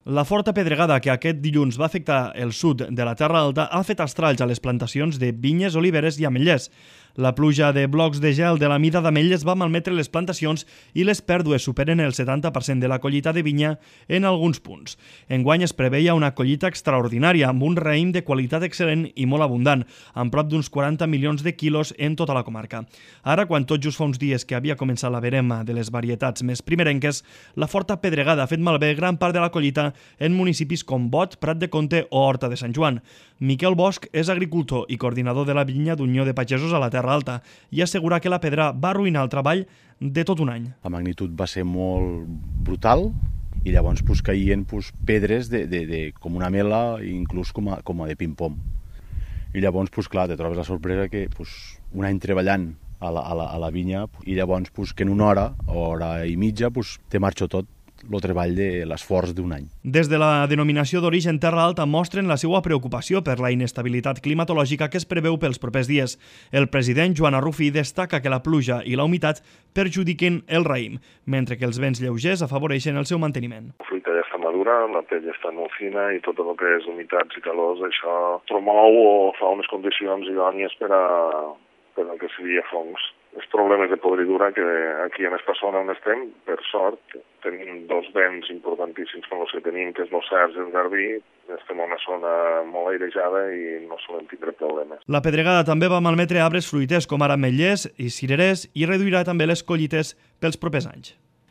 La forta pedregada que aquest dilluns va afectar el sud de la Terra Alta ha fet estralls a les plantacions de vinyes, oliveres i ametllers. La pluja de blocs de gel de la mida d'ametlles va malmetre les plantacions i les pèrdues superen el 70% de la collita de vinya en alguns punts. Enguany es preveia una collita extraordinària amb un raïm de qualitat excel·lent i molt abundant, amb prop d'uns 40 milions de quilos en tota la comarca. Ara, quan tot just fa uns dies que havia començat la verema de les varietats més primerenques, la forta pedregada ha fet malbé gran part de la collita en municipis com Bot, Prat de Comte o Horta de Sant Joan. Miquel Bosch és agricultor i coordinador de la vinya d'Unió de Pagesos a la Terra Alta i assegura que la pedra va arruïnar el treball de tot un any. La magnitud va ser molt brutal i llavors caïen pedres com una mela, inclús com a de ping-pong. I llavors, clar, te trobes la sorpresa que un any treballant a la vinya i llavors que en una hora i mitja, te marxo tot el treball de l'esforç d'un any. Des de la denominació d'origen Terra Alta mostren la seva preocupació per la inestabilitat climatològica que es preveu pels propers dies. El president Joan Arrufí destaca que la pluja i la humitat perjudiquen el raïm, mentre que els vents lleugers afavoreixen el seu manteniment. La fruita ja està madura, la pell ja està molt fina i tot el que és humitats i calors, això promou o fa unes condicions idònies per al que seria fongs. Els problemes de podridura que aquí en esta zona on estem, per sort, tenim dos vents importantíssims com els que tenim, que és el Cerç i el Garbí. Estem en una zona molt airejada i no solem tindre problemes. La pedregada també va malmetre arbres fruiters com ara ametllers i cirerers i reduirà també les collites pels propers anys.